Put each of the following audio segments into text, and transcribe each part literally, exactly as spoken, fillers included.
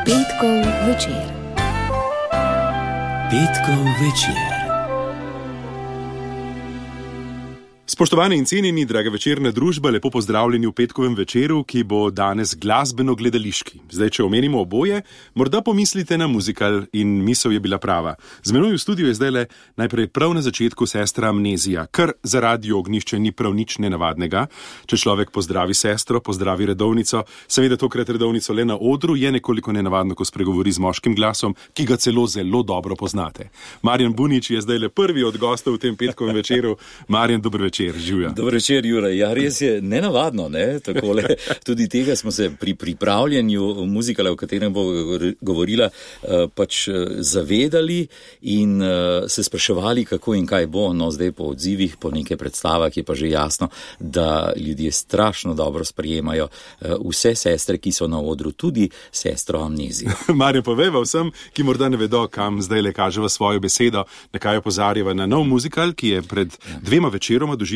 Petkov večer. Petkov večer. Spoštovani in cenjeni, draga večerna družba, lepo pozdravljeni v petkovem večeru, ki bo danes glasbeno-gledališki. Zdaj, če omenimo oboje, morda pomislite na muzikal in misel je bila prava. Z menoj v studiu je zdaj le najprej prav na začetku sestra Amnezija, kar za Radio Ognjišče ni prav nič nenavadnega. Če človek pozdravi sestro, pozdravi redovnico, seveda tokrat redovnico le na odru, je nekoliko nenavadno, ko spregovori z moškim glasom, ki ga celo zelo dobro poznate. Marjan Bunič je zdaj le prvi od gostov v tem petkovem večeru. Marjan, dober večer. Dobro večer, Jure. Ja, res je nenavadno, ne? Takole. Tudi tega smo se pri pripravljanju muzikala, o katerem bo govorila, pač zavedali in se spraševali, kako in kaj bo. No, zdaj po odzivih, po nekaj predstavah je pa že jasno, da ljudje strašno dobro sprejemajo vse sestre, ki so na odru, tudi sestro Amnezijo. Marjan, povejva vsem, ki morda ne vedo, kam zdaj le kaževa svojo besedo, na kaj opozarjava na nov muzikal, ki je pred dvema večeroma doživel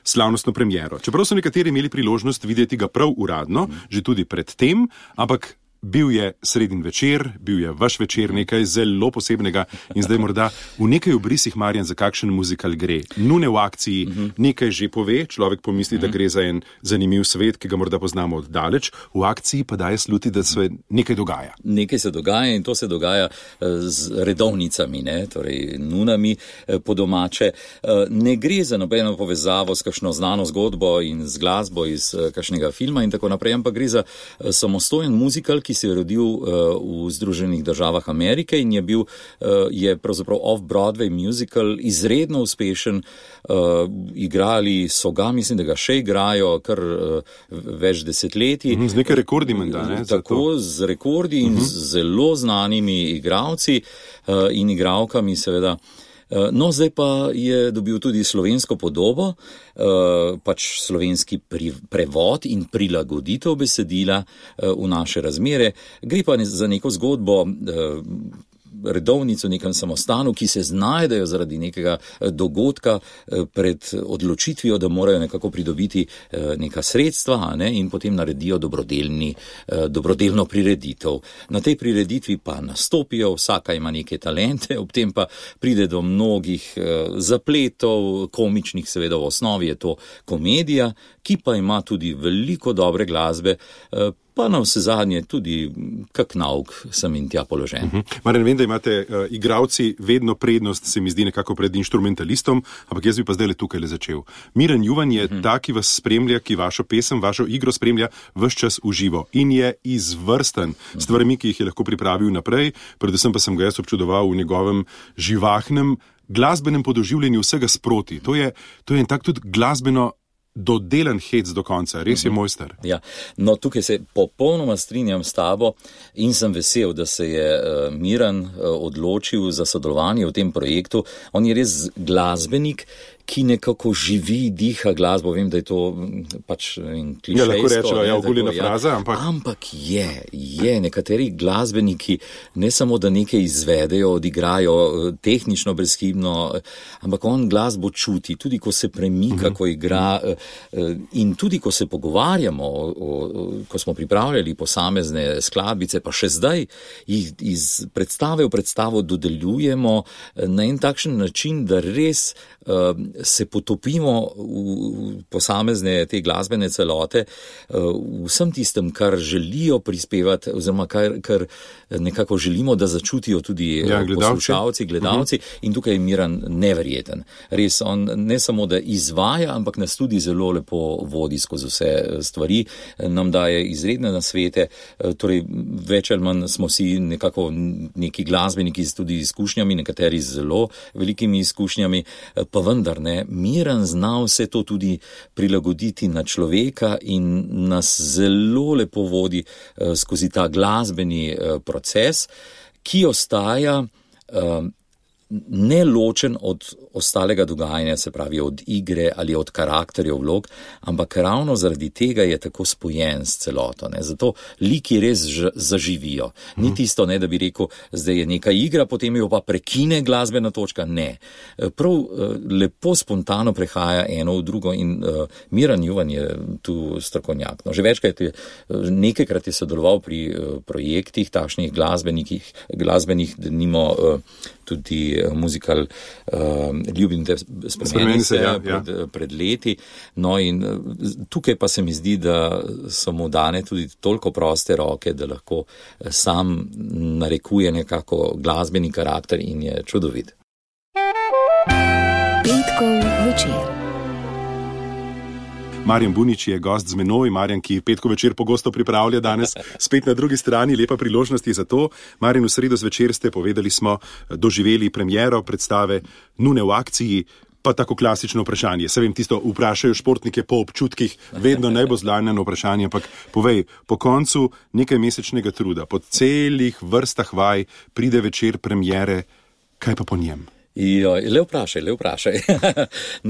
slavnostno premiero. Čeprav so nekateri imeli priložnost videti ga prav uradno, mm. že tudi pred tem, ampak bil je sredin večer, bil je vaš večer, nekaj zelo posebnega in zdaj morda v nekaj obrisih, Marjan, za kakšen muzikal gre. Nune v akciji mm-hmm. nekaj že pove, človek pomisli, mm-hmm. da gre za en zanimiv svet, ki ga morda poznamo od daleč, v akciji pa daje sluti, da se nekaj dogaja. Nekaj se dogaja in to se dogaja z redovnicami, ne? Torej nunami po domače. Ne gre za nobeno povezavo s kakšno znano zgodbo in z glasbo iz kakšnega filma in tako naprej, ampak gre za samostojen muzikal, ki se je rodil uh, v Združenih državah Amerike in je bil, uh, je pravzaprav off-Broadway musical, izredno uspešen, uh, igrali so ga, mislim, da ga še igrajo kar uh, več desetletij. Z nekaj rekordi menda, ne? Tako, z rekordi in uh-huh. z zelo znanimi igralci uh, in igralkami, seveda. No, zdaj pa je dobil tudi slovensko podobo, pač slovenski prevod in prilagoditev besedila v naše razmere. Gre pa za neko zgodbo redovnico v nekem samostanu, ki se znajdejo zaradi nekega dogodka pred odločitvijo, da morajo nekako pridobiti neka sredstva, ne, in potem naredijo dobrodelni, dobrodelno prireditev. Na tej prireditvi pa nastopijo, vsaka ima neke talente, ob tem pa pride do mnogih zapletov, komičnih, seveda v osnovi je to komedija, ki pa ima tudi veliko dobre glasbe, pa na vse zadnje tudi kak nauk sem in tja položen. Uh-huh. Marjan, vem, da imate uh, igravci vedno prednost, se mi zdi, nekako pred inštrumentalistom, ampak jaz bi pa zdaj le tukaj le začel. Miran Juvan je uh-huh. ta, ki vas spremlja, ki vašo pesem, vašo igro spremlja ves čas v živo in je izvrsten uh-huh. stvarmi, ki jih je lahko pripravil naprej, predvsem pa sem ga jaz občudoval v njegovem živahnem glasbenem podoživljenju vsega sproti. To je, to je en tak tudi glasbeno dodelan hec do konca, res je mojster. Ja, no tukaj se popolnoma strinjam s tabo in sem vesel, da se je uh, Miran uh, odločil za sodelovanje v tem projektu. On je res glasbenik, ki nekako živi, diha glasbo. Vem, da je to pač klišejsko. Ja, lahko rečejo, ja, oguljena fraza, ampak... Ampak je, je. Nekateri glasbeniki ne samo, da nekaj izvedejo, odigrajo tehnično brezhibno, ampak on glasbo čuti, tudi ko se premika, uh-huh. ko igra in tudi ko se pogovarjamo, o, o, ko smo pripravljali posamezne skladbice, pa še zdaj jih iz predstave v predstavo dodeljujemo na en takšen način, da res se potopimo v posamezne te glasbene celote, vsem tistem, kar želijo prispevati, oziroma kar, kar nekako želimo, da začutijo tudi ja, poslušalci, gledalci. Uh-huh. In tukaj je Miran neverjeten. Res, on ne samo, da izvaja, ampak nas tudi zelo lepo vodi skozi vse stvari, nam daje izredne nasvete, torej več ali manj smo si nekako neki glasbeniki z tudi izkušnjami, nekateri z zelo velikimi izkušnjami, pa vendar ne, Miran zna vse to tudi prilagoditi na človeka in nas zelo lepo vodi uh, skozi ta glasbeni uh, proces, ki ostaja uh, neločen od ostalega dogajanja, se pravi od igre ali od karakterjev vlog, ampak ravno zaradi tega je tako spojen s celoto. Ne. Zato liki res ž- zaživijo. Ni tisto, ne, da bi rekel, zdaj je neka igra, potem jo pa prekine glasbena točka. Ne. Prav lepo spontano prehaja eno v drugo in uh, Miran Juvan je tu strokovnjak. No, že večkrat je, nekajkrat je sodeloval pri uh, projektih takšnih glasbenih, glasbenih denimo uh, tudi uh, muzikal uh, Ljubim te spremeni se ja, pred, ja. pred leti. No in uh, tukaj pa se mi zdi, da so mu dane tudi toliko proste roke, da lahko sam narekuje nekako glasbeni karakter in je čudovit. Petkov večer. Marjan Bunič je gost z menoj, Marjan, ki Petkov večer pogosto pripravlja danes spet na drugi strani, lepa priložnost je za to. Marjan, v sredo zvečer ste, povedali smo, doživeli premiero predstave Nune v akciji, pa tako klasično vprašanje. Se vem, tisto vprašajo športnike po občutkih, vedno najbolj zlanjeno vprašanje, ampak povej, po koncu nekaj mesečnega truda, po celih vrstah vaj pride večer premiere, kaj pa po njem? Jo, le vprašaj, le vprašaj.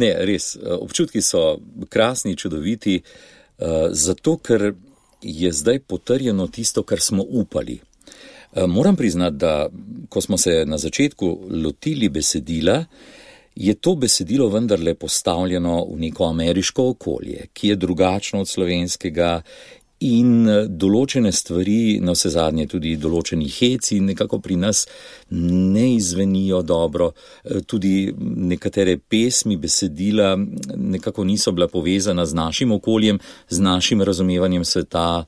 Ne, res, občutki so krasni, čudoviti, uh, zato, ker je zdaj potrjeno tisto, kar smo upali. Uh, moram priznati, da ko smo se na začetku lotili besedila, je to besedilo vendarle postavljeno v neko ameriško okolje, ki je drugačno od slovenskega in določene stvari, na vse zadnje tudi določeni heci, nekako pri nas ne izvenijo dobro. Tudi nekatere pesmi, besedila nekako niso bila povezana z našim okoljem, z našim razumevanjem sveta.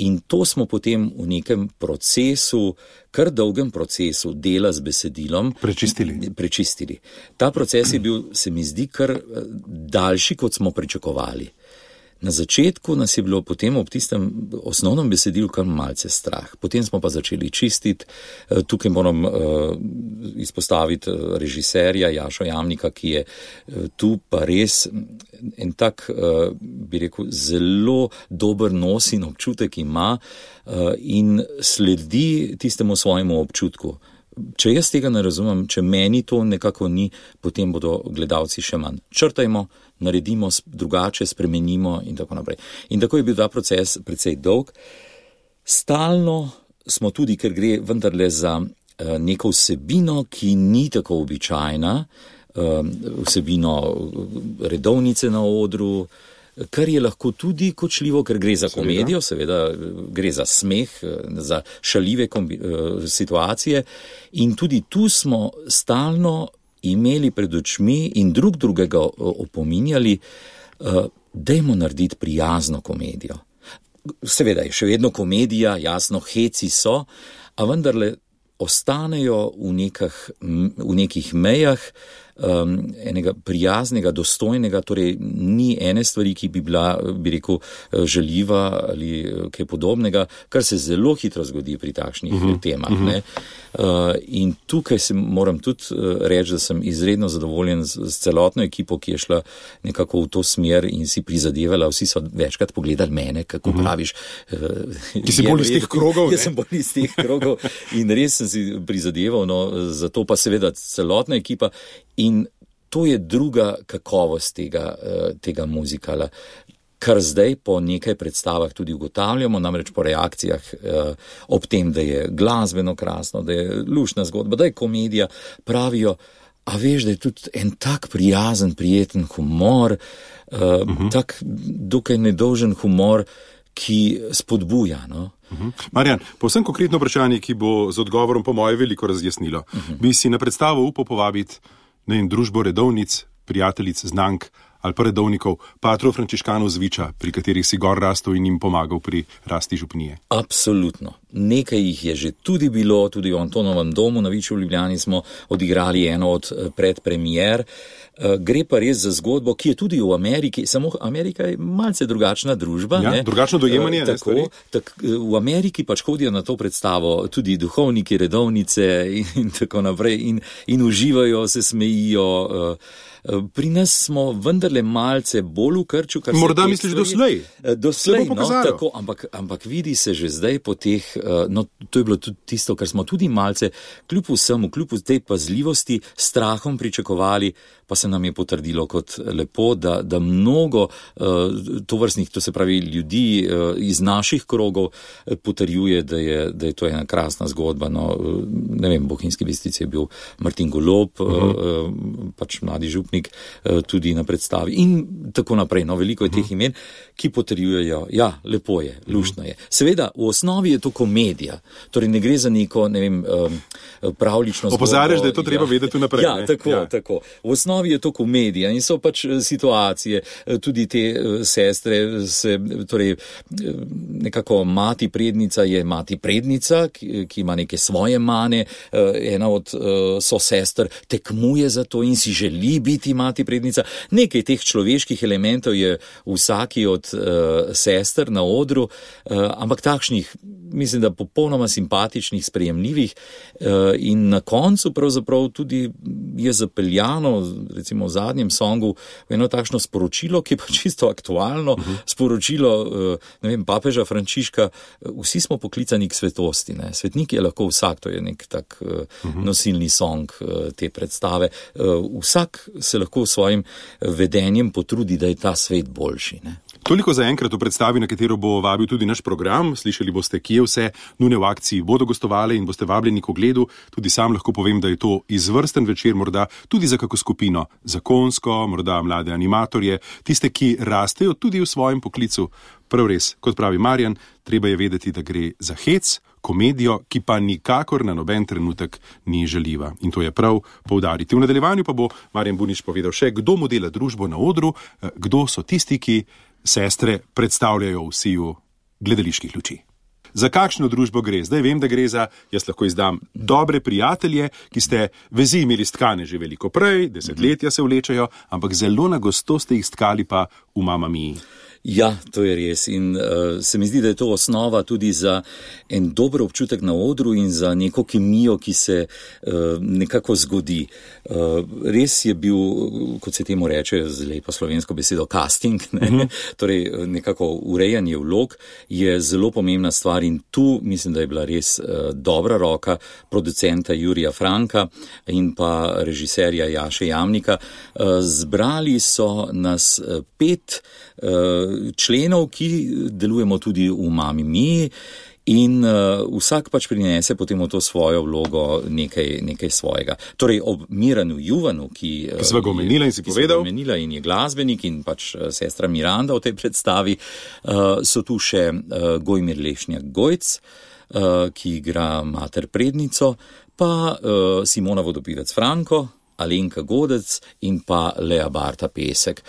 In to smo potem v nekem procesu, kar dolgem procesu dela z besedilom prečistili. prečistili. Ta proces je bil, se mi zdi, kar daljši, kot smo pričakovali. Na začetku nas je bilo potem ob tistem osnovnem besedilu kar malce strah. Potem smo pa začeli čistiti. Tukaj moram uh, izpostaviti režiserja Jašo Jamnika, ki je uh, tu pa res en tak, uh, bi rekel, zelo dober nos in občutek ima uh, in sledi tistemu svojemu občutku. Če jaz tega ne razumem, če meni to nekako ni, potem bodo gledalci še manj. Črtajmo, naredimo drugače, spremenimo in tako naprej. In tako je bil ta proces precej dolg. Stalno smo tudi, ker gre vendarle za uh, neko vsebino, ki ni tako običajna, uh, vsebino redovnice na odru, kar je lahko tudi kočljivo, ker gre za komedijo, seveda gre za smeh, za šaljive kombi, situacije in tudi tu smo stalno imeli pred očmi in drug drugega opominjali, dajmo narediti prijazno komedijo. Seveda je še vedno komedija, jasno, heci so, a vendarle ostanejo v, nekah, v nekih mejah um, enega prijaznega, dostojnega, torej ni ene stvari, ki bi bila, bi rekel, žaljiva ali kaj podobnega, kar se zelo hitro zgodi pri takšnih uh-huh, temah. Uh-huh. Ne? Uh, in tukaj se moram tudi reči, da sem izredno zadovoljen z, z celotno ekipo, ki je šla nekako v to smer in si prizadevala. Vsi so večkrat pogledali mene, kako uh-huh. praviš. Uh, Ki si bolj iz teh krogov. Jaz sem bolj iz teh krogov in res sem si prizadeval, no, zato pa seveda celotna ekipa in to je druga kakovost tega, tega muzikala, kar zdaj po nekaj predstavah tudi ugotavljamo, namreč po reakcijah eh, ob tem, da je glasbeno krasno, da je luštna zgodba, da je komedija, pravijo, a veš, da je tudi en tak prijazen, prijeten humor, eh, uh-huh. tak dokaj nedolžen humor, ki spodbuja, no. Uh-huh. Marjan, povsem konkretno vprašanje, ki bo z odgovorom po moje veliko razjasnilo. Uh-huh. Bi si na predstavo upal povabiti na en družbo redovnic, prijateljic, znank ali pa redovnikov, patrov frančiškanov Zviča, pri katerih si gor rastel in jim pomagal pri rasti župnije? Absolutno. Nekaj jih je že tudi bilo, tudi v Antonovem domu na Viču v Ljubljani smo odigrali eno od predpremier. Gre pa res za zgodbo, ki je tudi v Ameriki, samo Amerika je malce drugačna družba. Ja, ne? Drugačno dojemanje. Tako, tak, v Ameriki pač hodijo na to predstavo tudi duhovniki, redovnice in, in tako naprej in, in uživajo, se smejijo. Pri nas smo vendarle malce bolj v krču. Morda misliš doslej? Doslej, no, tako, ampak, ampak vidi se že zdaj po teh no, to je bilo tudi tisto, kar smo tudi malce, kljub vsemu, kljub tej pazljivosti, strahom pričakovali, pa se nam je potrdilo kot lepo, da, da mnogo tovrstnih, to se pravi ljudi iz naših krogov potrjuje, da je, da je to ena krasna zgodba. No, ne vem, v Bohinjski Bistrici je bil Martin Golob, uh-huh. pač mladi župnik, tudi na predstavi in tako naprej. No, veliko je uh-huh. teh imen, ki potrjujejo, ja, lepo je, luštno je. Seveda, v osnovi je to komedija, torej ne gre za neko, ne vem, pravlično zgodbo. Opozarjaš, da je to treba ja. vedeti naprej. Ja, tako, ja. tako. V osnovi je to komedija in so pač situacije, tudi te sestre, se, torej nekako mati prednica je mati prednica, ki, ki ima neke svoje mane, ena od so sester tekmuje za to in si želi biti mati prednica. Nekaj teh človeških elementov je vsaki od uh, sester na odru, uh, ampak takšnih, mislim, da popolnoma simpatičnih, sprejemljivih uh, in na koncu pravzaprav tudi je zapeljano, recimo v zadnjem songu, v eno takšno sporočilo, ki je pa čisto aktualno, uh-huh. sporočilo, uh, ne vem, papeža Frančiška, vsi smo poklicani k svetosti, ne. Svetnik je lahko vsak, to je nek tak uh, uh-huh. nosilni song uh, te predstave. Uh, vsak se lahko s svojim vedenjem potrudi, da je ta svet boljši, ne. Toliko za enkrat v predstavi, na katero bo vabil tudi naš program. Slišali boste, kje vse nujne v akciji bodo gostovale in boste vabljeni k ogledu. Tudi sam lahko povem, da je to izvrsten večer, morda tudi za kako skupino, zakonsko, morda mlade animatorje, tiste, ki rastejo tudi v svojem poklicu. Prav res, kot pravi Marjan, treba je vedeti, da gre za hec, komedijo, ki pa nikakor na noben trenutek ni žaljiva. In to je prav poudariti. V nadaljevanju pa bo Marjan Bunič povedal še, kdo modela družbo na odru, kdo so tisti, ki sestre predstavljajo v siju gledaliških luči. Za kakšno družbo gre? Zdaj vem, da gre za, jaz lahko izdam, dobre prijatelje, ki ste vezi imeli stkane že veliko prej, desetletja se vlečajo, ampak zelo na gosto ste jih stkali pa v Mamma Mii. Ja, to je res in uh, se mi zdi, da je to osnova tudi za en dober občutek na odru in za neko kemijo, ki se uh, nekako zgodi. Uh, res je bil, kot se temu reče z lepo slovensko besedo, casting, ne? Uh-huh. Torej nekako urejanje vlog je zelo pomembna stvar in tu mislim, da je bila res uh, dobra roka producenta Jurija Franka in pa režiserja Jaše Jamnika. Uh, zbrali so nas uh, pet uh, členov, ki delujemo tudi v Mammi Mii in uh, vsak pač prinese potem v to svojo vlogo nekaj, nekaj svojega. Torej ob Miranu Juvanu, ki, ki sva ga omenila in si povedal, omenila in je glasbenik in pač sestra Miranda v tej predstavi, uh, so tu še uh, Gojmir Lešnjak Gojc, uh, ki igra mater prednico, pa uh, Simona Vodopivec Franko, Alenka Godec in pa Lea Barta Pesek.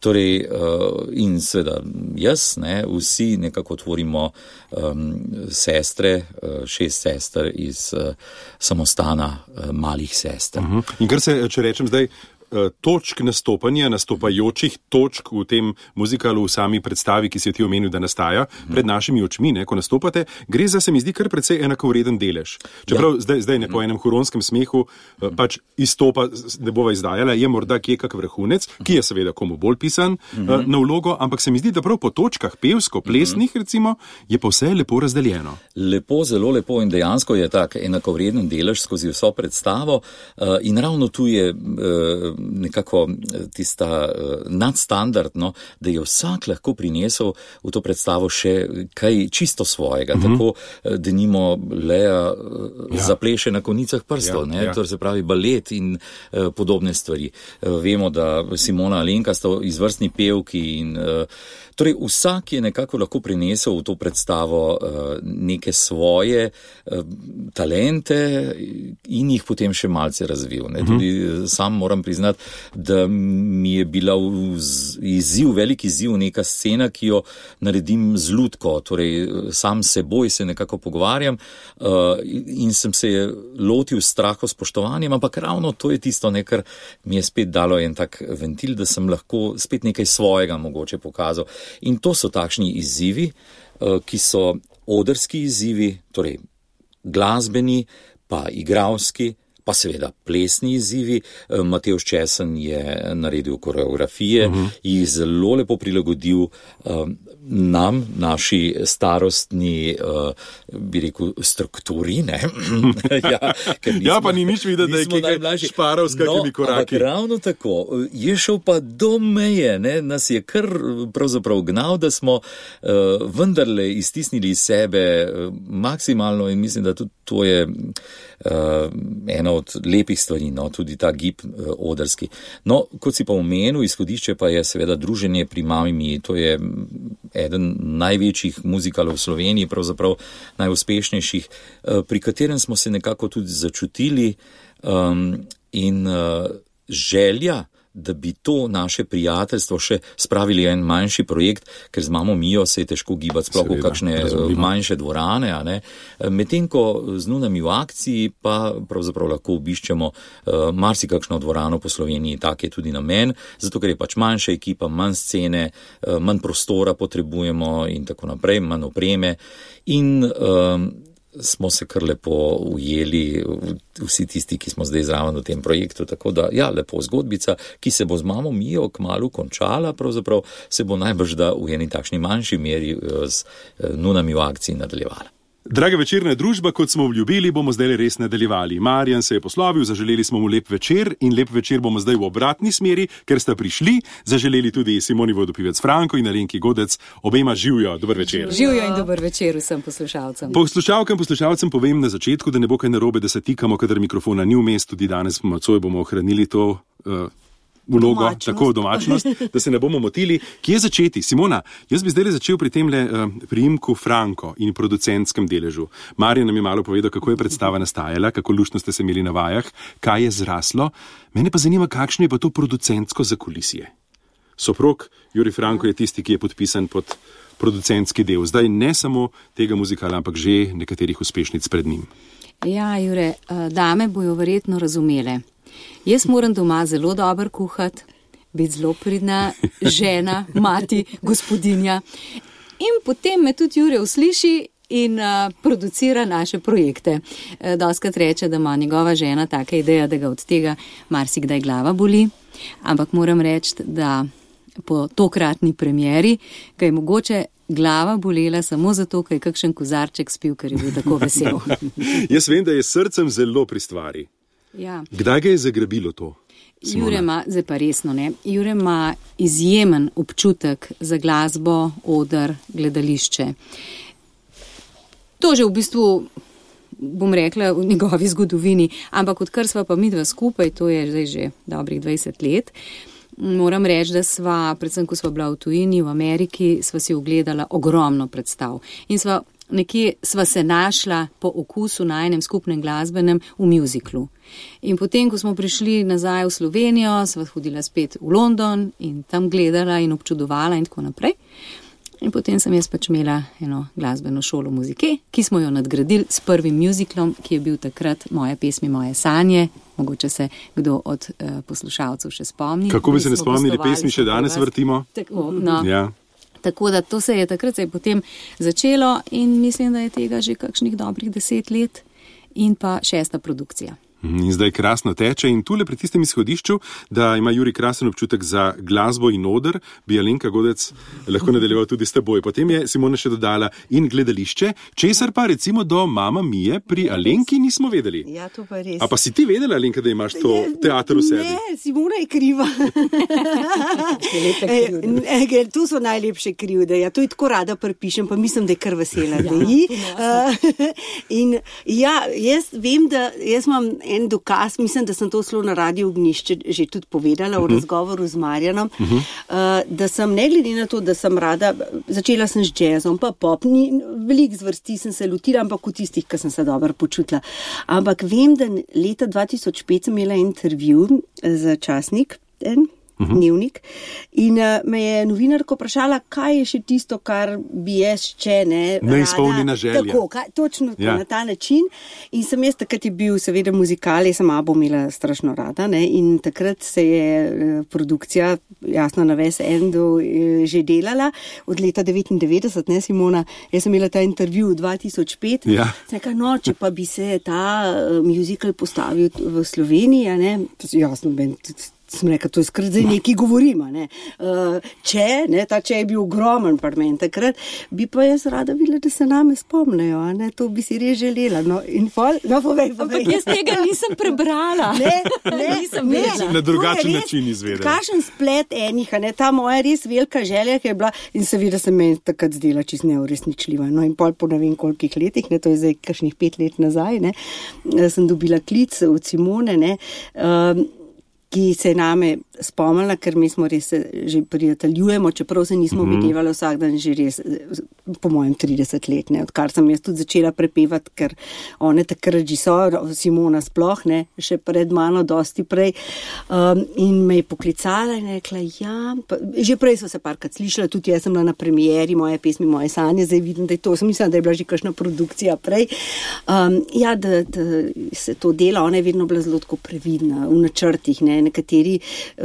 Torej, uh, in seveda jaz, ne, vsi nekako tvorimo um, sestre, uh, šest sester iz uh, samostana uh, malih sester. Uh-huh. In kar se, če rečem zdaj, točk nastopanja, nastopajočih točk v tem muzikalu, v sami predstavi, ki si jo ti omenil, da nastaja pred našimi očmi, ne, ko nastopate, gre za, se mi zdi, kar precej enakovreden delež. Čeprav ja. zdaj, zdaj ne po enem huronskem smehu pač izstopa, ne bova izdajala, je morda kje kak vrhunec, ki je seveda komu bolj pisan uh-huh. na vlogo, ampak se mi zdi, da prav po točkah pevsko, plesnih uh-huh. recimo, je pa vse lepo razdeljeno. Lepo, zelo lepo in dejansko je tak enakovreden delež skozi vso predstavo uh, in ravno tu je uh, nekako tista uh, nadstandardno, da je vsak lahko prinesel v to predstavo še kaj čisto svojega, mm-hmm. tako denimo Lea uh, ja. zapleše na konicah prstov, ja, ja. to se pravi balet in uh, podobne stvari. Uh, vemo, da Simona Alenka sta izvrstni pevki in uh, torej vsak je nekako lahko prinesel v to predstavo uh, neke svoje uh, talente in jih potem še malce razvil. Ne? Tudi mm-hmm. sam moram priznati, da mi je bila izziv, veliki izziv neka scena, ki jo naredim z lutko, torej sam seboj se nekako pogovarjam uh, in sem se lotil straho spoštovanjem, ampak ravno to je tisto, ne, kar mi je spet dalo en tak ventil, da sem lahko spet nekaj svojega mogoče pokazal. In to so takšni izzivi, uh, ki so odrski izzivi, torej glasbeni, pa igralski, pa seveda plesni izzivi. Matevž Česen je naredil koreografije, uh-huh. jih zelo lepo prilagodil um, nam, naši starostni, uh, bi rekel, strukturi, ne? ja, nismo, ja, pa ni nič videti, da je nekaj šparal s kakimi no, koraki. Ravno tako, je šel pa do meje, ne? Nas je kar pravzaprav gnal, da smo uh, vendarle iztisnili iz sebe uh, maksimalno in mislim, da tudi to je uh, ena od lepih stvari, no? Tudi ta gib uh, odrski. No, kot si pa omenil, izhodišče pa je seveda druženje pri Mami Miji, to je eden največjih muzikalov v Sloveniji, pravzaprav najuspešnejših, pri katerem smo se nekako tudi začutili um, in uh, želja, da bi to naše prijateljstvo še spravili en manjši projekt, ker z Mamo Mijo se je težko gibati sploh v kakšne razumljivo. Manjše dvorane, a ne. Medtem ko z Nunami v akciji pa pravzaprav lahko obiščemo uh, marsikakšno dvorano po Sloveniji, tak je tudi namen, zato ker je pač manjša ekipa, manj scene, uh, manj prostora potrebujemo in tako naprej, manj opreme in uh, smo se kar lepo ujeli, vsi tisti, ki smo zdaj zraven v tem projektu, tako da, ja, lepo zgodbica, ki se bo z Mamo Mijo kmalu končala, pravzaprav se bo najbrž da v eni takšni manjši meri z Nunami v akciji nadaljevala. Draga večerna družba, kot smo obljubili, bomo zdaj res nadaljevali. Marjan se je poslovil, zaželeli smo mu lep večer in lep večer bomo zdaj v obratni smeri, ker sta prišli, zaželeli tudi Simoni Vodopivec Franko in Alenki Godec, obema živjo, dober večer. Živjo in dober večer vsem poslušalcem. Poslušalkam, poslušalcem povem na začetku, da ne bo kaj narobe, da se tikamo, kadar mikrofona ni v mestu, tudi danes nocoj bomo ohranili to uh, vlogo, domačnost. Tako domačnost, da se ne bomo motili. Kje začeti? Simona, jaz bi zdaj začel pri tem le uh, priimku Franko in producentskem deležu. Marjan nam je malo povedal, kako je predstava nastajala, kako luštno ste se imeli na vajah, kaj je zraslo. Mene pa zanima, kakšno je pa to producentsko zakulisje. Soprog Jurij Franko je tisti, ki je podpisan pod producentski del. Zdaj ne samo tega muzikala, ampak že nekaterih uspešnic pred njim. Ja, Jure, dame bojo verjetno razumele. Jaz moram doma zelo dobro kuhati, biti zelo pridna žena, mati, gospodinja. In potem me tudi Jure usliši in uh, producira naše projekte. Uh, Doskrat reče, da ima njegova žena taka ideja, da ga od tega marsikdaj glava boli. Ampak moram reči, da po tokratni premieri, ga je mogoče glava bolela samo zato, ker je kakšen kozarček spil, ker je bil tako vesel. Jaz vem, da je srcem zelo pri stvari. Ja. Kdaj ga je zagrabilo to? Simona? Jure ima, zdaj pa resno ne, Jure ima izjemen občutek za glasbo, oder, gledališče. To že v bistvu, bom rekla, v njegovi zgodovini, ampak odkar sva pa midva skupaj, to je zdaj že dobrih dvajset let, moram reči, da sva, predvsem ko sva bila v tujini, v Ameriki, sva si ogledala ogromno predstav. In sva nekje sva se našla po okusu na enem skupnem glasbenem v muziklu. In potem, ko smo prišli nazaj v Slovenijo, sva hodila spet v London in tam gledala in občudovala in tako naprej. In potem sem jaz pač imela eno glasbeno šolo muzike, ki smo jo nadgradili s prvim muziklom, ki je bil takrat Moje pesmi, moje sanje. Mogoče se kdo od uh, poslušalcev še spomni. Kako bi se ne spomnili, pesmi še danes vrtimo? Tako, no. Ja. Tako da to se je takrat se je potem začelo in mislim, da je tega že kakšnih dobrih deset let in pa šesta produkcija. In zdaj krasno teče in tule pri tistem izhodišču, da ima Jurij krasen občutek za glasbo in oder, bi Alenka Godec lahko nadaljeval tudi s teboj. Potem je Simona še dodala in gledališče, česar pa recimo do Mama Mije pri Alenki nismo vedeli. Ja, to pa res. A pa si ti vedela, Alenka, da imaš to teater v sebi? Ne, Simona je kriva. e, to so najlepše krivde. Ja, to je tako rada pripišem, pa mislim, da je kar vesela. Ja, uh, in ja, jaz vem, da jaz imam en dokaz, mislim, da sem to slo na Radio Ognjišče že tudi povedala v uh -huh. razgovoru z Marjanom, uh -huh. uh, da sem ne glede na to, da sem rada, začela sem z jazzom, pa pop, ni, veliko zvrsti sem se lotila, ampak v tistih, ki sem se dobro počutila. Ampak vem, da leta dva tisoč pet sem imela intervju za časnik, en, uh-huh. dnevnik. In uh, me je novinarka vprašala, kaj je še tisto, kar bi jaz še ne. Neizpolnjena želja. Tako, kaj, točno ja. na ta način. In sem jaz takrat je bil seveda muzikal, jaz sem Abo imela strašno rada, ne? In takrat se je uh, produkcija, jasno na ves endu, uh, že delala od leta devetindevetdeset, ne Simona, jaz sem imela ta intervju dva tisoč pet, ja. sem rekla, no, če pa bi se ta uh, muzikal postavil v Sloveniji, ne, jasno, ben, sem rekla, to je skrat zdaj nekaj govorima, ne. Uh, če, ne, ta če je bil ogromen parlament takrat, bi pa jaz rada videla, da se name spomnejo, ne, to bi si res želela, no, in fol, no, povej, povej. Ampak jaz tega nisem prebrala. Ne, ne, nisem ne. Na drugačen način izvedela. Kakšen splet enih, ne, ta moja res velika želja, ki je bila, in seveda se meni takrat zdela čisto neuresničljiva, no, in pol po ne vem kolikih letih, ne, to je zdaj kakšnih pet let nazaj, ne, sem dobila klic od Simone, ne, um, ki se je name spomnila, ker mi smo res že prijateljujemo, čeprav se nismo mm-hmm. videvali vsak dan že res, po mojem trideset let, ne, odkar sem jaz tudi začela prepevati, ker one takrat že so, Simona sploh, ne, še pred mano dosti prej, um, in me je poklicala in rekla, ja, pa, že prej so se parkrat slišala, tudi jaz sem bila na premieri moje pesmi, moje sanje, zdaj vidim, da je to, sem mislila, da je bila že kakšna produkcija prej, um, ja, da, da se to dela, ona je vedno bila zelo tako previdna v načrtih, ne, nekateri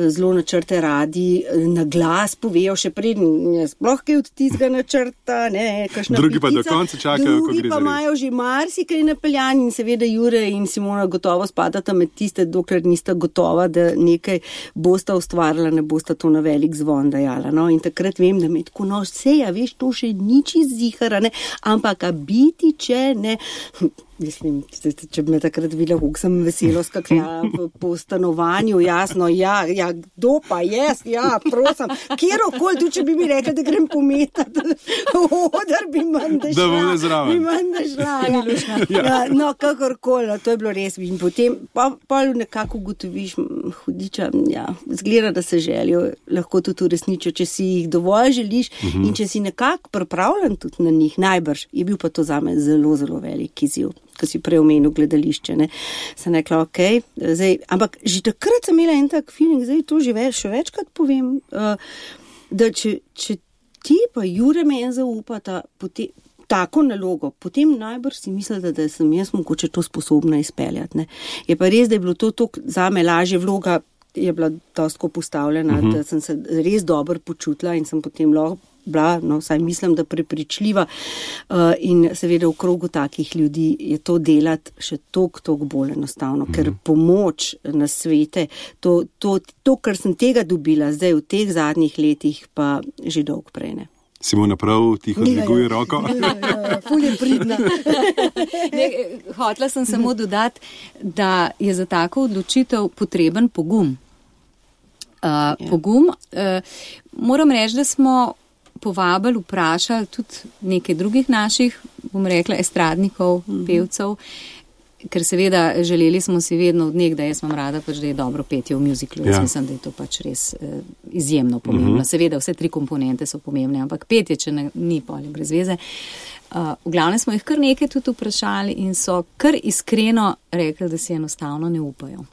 zelo načrte radi na glas povejo, še preden je sploh kaj od tistega načrta, ne, kakšna drugi pitica, pa do konca čakajo, ko gre za res. Drugi pa imajo že marsikaj napeljan in seveda Jure in Simona gotovo spadata med tiste, dokler nista gotova, da nekaj bosta ustvarila, ne bosta to na velik zvon dajala. No? In takrat vem, da me tako nož, seja, veš, to še nič izzihara, ne, ampak a biti, če ne... Mislim, če bi me takrat videla, kako sem veselo skakljala po, po stanovanju, jasno, ja, ja, kdo pa jaz, ja, prosim, kjerokoli, tudi če bi mi rekla, da grem pometati, odar bi manj da šla, da bom nezraven. Bi manj da šla, ja. Ja, no, kakorkoli, to je bilo res, in potem pa, pa nekako ugotoviš, hudiča, ja, zgleda, da se želijo, lahko tudi uresničijo, če si jih dovolj želiš uh-huh. in če si nekako pripravljen tudi na njih, najbrž, je bil pa to zame zelo, zelo velik izziv. Ko si prej omenil gledališče, ne, sem rekla, ok, zdaj, ampak že takrat sem imela en tak feeling, zdaj to že več, še večkrat povem, uh, da če, če ti pa Jure meni zaupata potem, tako nalogo, potem najbrž si mislila, da sem jaz mogoče to sposobna izpeljati, ne. Je pa res, da je bilo to toliko zame lažje, vloga je bila dosto postavljena, uh-huh. da sem se res dobro počutila in sem potem lahko bila, no, vsaj mislim, da prepričljiva uh, in seveda v krogu takih ljudi je to delati še toliko, toliko bolj enostavno, mm. ker pomoč na svete, to, to, to, kar sem tega dobila zdaj v teh zadnjih letih, pa že dolgo prej ne. Simona prav tiho dviguje roko. Ja, ja, ful je pridna. Ne, hotla sem samo dodati, da je za tako odločitev potreben pogum. Uh, ja. Pogum. Uh, moram reči, da smo povabili, vprašali tudi nekaj drugih naših, bom rekla, estradnikov, mm-hmm. pevcev, ker seveda želeli smo si vedno od nekdaj, da jaz vam rada pač, da je dobro petje v muziklu. Jaz ja. mislim, da je to pač res eh, izjemno pomembno. Mm-hmm. Seveda vse tri komponente so pomembne, ampak petje, če ne, ni polje brez veze. Uh, v glavnem smo jih kar nekaj tudi vprašali in so kar iskreno rekli, da si enostavno ne upajo.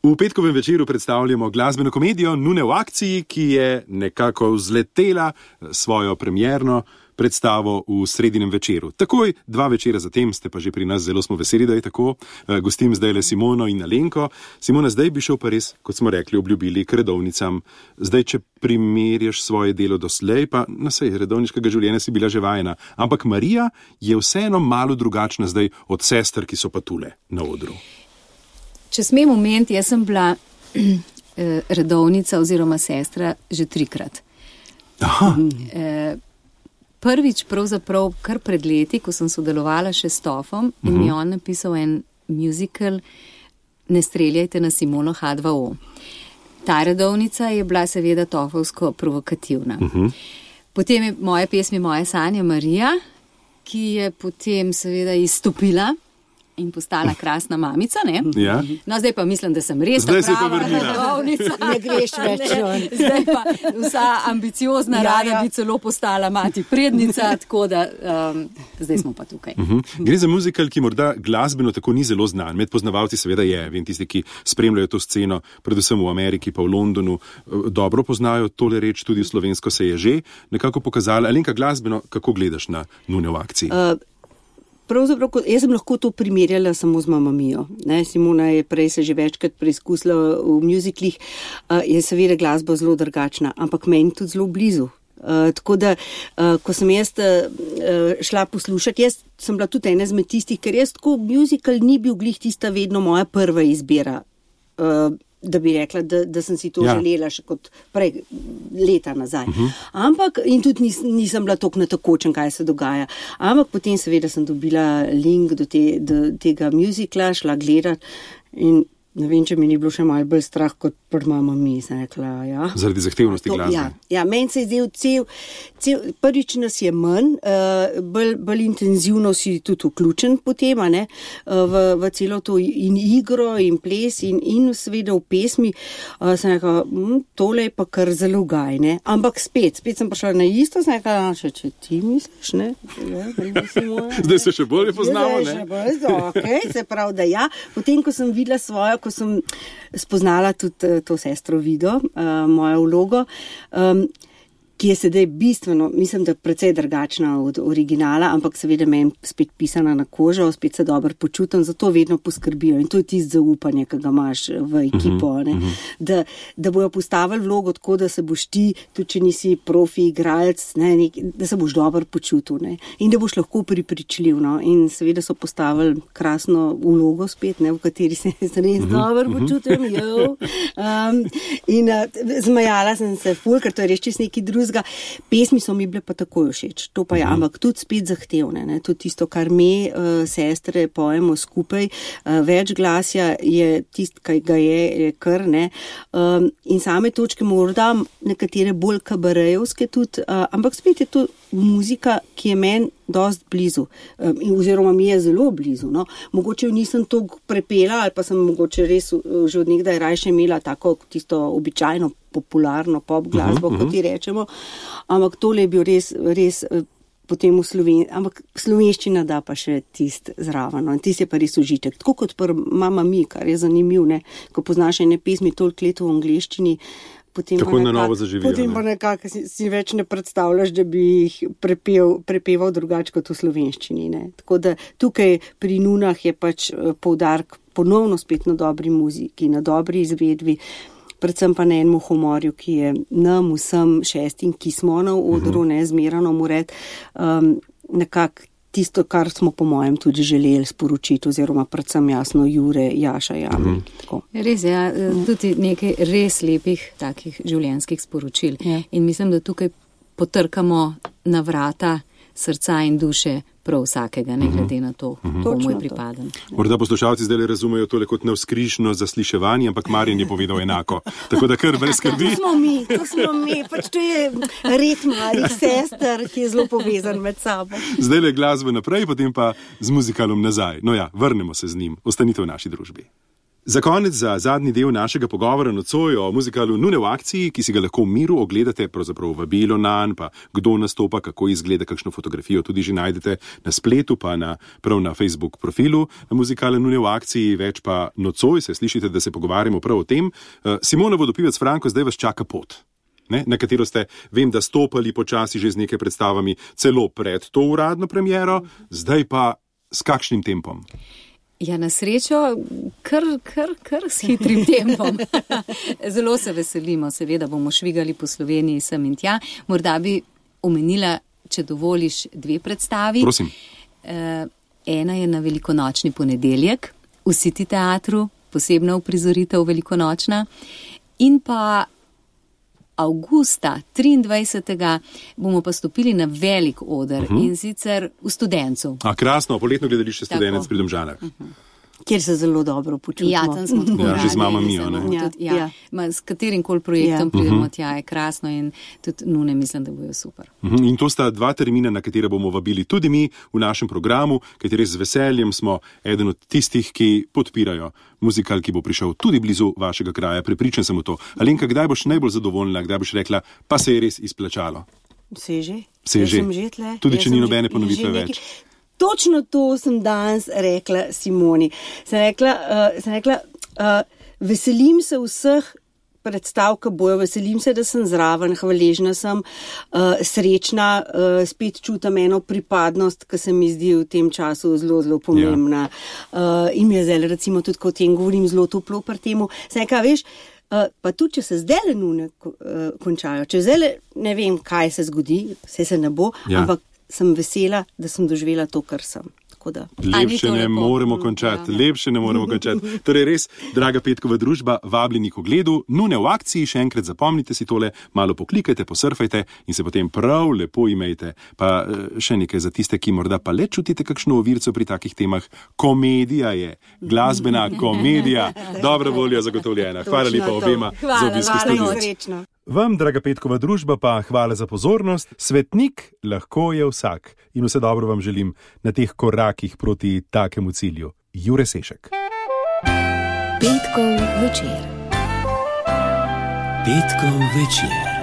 V petkovem večeru predstavljamo glasbeno komedijo Nune v akciji, ki je nekako vzletela svojo premierno predstavo v sredinem večeru. Takoj dva večera zatem ste pa že pri nas, zelo smo veseli, da je tako. Gostim zdaj le Simono in Alenko. Simona, zdaj bi šel pa res, kot smo rekli, obljubili k redovnicam. Zdaj, če primerjaš svoje delo doslej, pa na sej redovniškega življenja si bila že vajena. Ampak Marija je vseeno malo drugačna zdaj od sester, ki so pa tule na odru. Če smem omeniti, jaz sem bila redovnica oziroma sestra že trikrat. Aha. Prvič pravzaprav kar pred leti, ko sem sodelovala še s Tofom in uh-huh. mi je on napisal en musical Ne streljajte na Simono H dva O. Ta redovnica je bila seveda tofovsko provokativna. Uh-huh. Potem je moje pesmi, moje sanje Marija, ki je potem seveda izstopila in postala krasna mamica, ne? Ja. No, zdaj pa mislim, da sem res Zdaj se je pa prava vrnila. rodovnica. Ne greš več. Ne, zdaj pa vsa ambiciozna Ja, rada ja. bi celo postala mati prednica, tako da um, zdaj smo pa tukaj. Uh-huh. Gre za muzikal, ki morda glasbeno tako ni zelo znan. Med poznavalci seveda je, vem, tisti, ki spremljajo to sceno, predvsem v Ameriki pa v Londonu, dobro poznajo tole reč, tudi v slovensko se je že nekako pokazala. Alenka, glasbeno, kako gledaš na Nune v akciji? Uh, Pravzaprav, jaz sem lahko to primerjala samo z Mamma Mio. Ne, Simona je prej se že večkrat preizkusila v muziklih, uh, je seveda glasba zelo drugačna, ampak meni tudi zelo blizu. Uh, tako da, uh, ko sem jaz uh, šla poslušati, jaz sem bila tudi ena izmed tistih, ker jaz tako muzikal ni bil glih tista vedno moja prva izbira. Uh, da bi rekla, da, da sem si to ja. želela še kot prej leta nazaj. Uh-huh. Ampak, in tudi nis, nisem bila toliko natakočen, kaj se dogaja. Ampak potem seveda sem dobila link do, te, do tega muzikla, šla gledat in ne vem, če mi ni bilo še malo bolj strah kot pri Mamma Mia, sem rekla, ja. Zaradi zahtevnosti To, glasbe. ja, ja, meni se je zdel cel, cel, prvič nas je manj, uh, bolj, bolj intenzivno si tudi vključen potem, a ne, uh, v, v celo to in igro in ples in, in seveda v pesmi, uh, sem rekla, hm, tole je pa kar zelo gaj, ne, ampak spet, spet sem prišla na isto, sem rekla, če, če ti misliš, ne, ja, Zdaj se še bolje poznamo, Zdaj ne? še bolj, okay, se pravi, da ja, potem, ko sem videla svojo, ko sem spoznala tudi to sestro Vido, uh, mojo vlogo, um, ki je sedaj bistveno, mislim, da precej drugačna od originala, ampak seveda meni spet pisana na kožo, spet se dobro počutim, zato vedno poskrbijo in to je tisto zaupanje, ki ga imaš v ekipo, uh-huh, ne? Uh-huh. Da, da bojo postavili vlogo tako, da se boš ti, tudi če nisi profi igralec, ne, nek, da se boš dobro počutil, ne? In da boš lahko pripričljiv, no? In seveda so postavili krasno vlogo spet, ne? V kateri se res uh-huh, dobro počutim, uh-huh. um, in uh, zmajala sem se ful, ker to je res čist neki drugega. Pesmi so mi bile pa takoj všeč, to pa je, uh-huh. ampak tudi spet zahtevne, ne? Tudi tisto, kar me uh, sestre pojemo skupaj, uh, več glasja je tist, kaj ga je, je kar, ne, um, in same točke morda nekatere bolj kabarejevske tudi, uh, ampak spet je to muzika, ki je meni dost blizu, um, in oziroma mi je zelo blizu, no. Mogoče jo nisem toliko prepela, ali pa sem mogoče res uh, že od nekdaj rajše imela tako tisto običajno popularno pop glasbo, uh-huh, kot ti rečemo, ampak tole je bil res, res uh, potem v slovenščini, ampak slovenščina da pa še tist zraven, no, in tist je pa res užitek. Tako kot pri Mamma Mia, kar je zanimiv, ne, ko poznaš ene pesmi toliko let v angleščini, potem tako nekak, na novo zaživijo. Potem pa ne? nekako si, si več ne predstavljaš, da bi jih prepev, prepeval drugače kot v slovenščini. Ne. Tako da tukaj pri Nunah je pač poudarek ponovno spet na dobri muziki, na dobri izvedbi, predvsem pa na enem humorju, ki je nam vsem šestim, ki smo na odru, uh-huh. ne zmerano mu red, um, nekako tisto, kar smo po mojem tudi želeli sporočiti, oziroma predvsem jasno Jure, Jaša, Jami. Uh-huh. Res je, ja, tudi nekaj res lepih takih življenjskih sporočil. Ja. In mislim, da tukaj potrkamo na vrata srca in duše prav vsakega, ne glede na to, uh-huh. komu je pripaden. Morda poslušalci zdaj razumejo tole kot navzkrižno zasliševanje, ampak Marjan je povedal enako. Tako da kar brez skrbi. To smo mi, to smo mi, pač to je red malih sester, ki je zelo povezan med sabo. Zdaj le glasbe naprej, potem pa z muzikalom nazaj. No ja, vrnemo se z njim. Ostanite v naši družbi. Za konec, za zadnji del našega pogovora nocoj o muzikalu Nune v akciji, ki si ga lahko v miru ogledate, pravzaprav vabilo nanj, pa kdo nastopa, kako izgleda, kakšno fotografijo tudi že najdete na spletu, pa na, prav na Facebook profilu muzikala Nune v akciji, več pa nocoj se slišite, da se pogovarjamo prav o tem. Simona Vodopivec Franko, zdaj vas čaka pot, ne, na katero ste, vem, da stopali počasi že z nekaj predstavami celo pred to uradno premiero, zdaj pa s kakšnim tempom? Ja, na srečo, kar, kar, kar s hitrim tempom. Zelo se veselimo, seveda bomo švigali po Sloveniji sem in tja. Morda bi omenila, če dovoliš, dve predstavi. Prosim. Uh, ena je na velikonočni ponedeljek v City teatru, posebna uprizoritev velikonočna. In pa avgusta triindvajsetega bomo pa stopili na velik oder, uh-huh. in sicer v Studencu. A krasno, poletno gledališče Studenec pri Domžalah. Uh-huh. kjer se zelo dobro počutimo. Ja, tam smo tako Ja, radi. že z mama in Mijo, zelo ne? tudi, Ja, ja, ja. ma, s katerim koli projektom Ja. pridemo tja, je krasno in tudi nune mislim, da bojo super. Mhm, In to sta dva termina, na katere bomo vabili tudi mi v našem programu, kateri res z veseljem smo eden od tistih, ki podpirajo muzikal, ki bo prišel tudi blizu vašega kraja. Prepričan sem v to. Alenka, kdaj boš najbolj zadovoljna, kdaj boš rekla, pa se je res izplačalo? Se je že? Se je Jaz že. sem že tle. Tudi Jaz če sem ni že- nobene že ponovitve nekaj- več. Točno to sem danes rekla Simoni. Sem rekla, uh, sem rekla uh, veselim se vseh predstav, ki bojo, veselim se, da sem zraven, hvaležna sem, uh, srečna, uh, spet čutim eno pripadnost, ki se mi zdi v tem času zelo, zelo pomembna. Ja. Uh, in mi je zdaj, recimo, tudi ko o tem govorim, zelo toplo pri temu. Sem rekla, veš, Uh, pa tudi, če se zdaj le nune uh, končajo, če zdaj le ne vem, kaj se zgodi, vse se ne bo, Ja. ampak sem vesela, da sem doživela to, kar sem. Tako da. A ni Lepše to ne lepo? moremo končati, Ja. lepše ne moremo končati. Torej res, draga Petkova družba, vabljeni k ogledu, nune v akciji, še enkrat zapomnite si tole, malo poklikajte, posurfajte in se potem prav lepo imejte. Pa eh, še nekaj za tiste, ki morda pa le čutite kakšno ovirco pri takih temah. Komedija je, glasbena komedija, dobra volja zagotovljena. Hvala Točno lepa to. obema za Hvala, obisk v hvala, studiu. noč. Srečno. Vam, draga Petkova družba, pa hvala za pozornost. Svetnik lahko je vsak in vse dobro vam želim na teh korakih proti takemu cilju. Jure Sešek. Petkov večer. Petkov večer.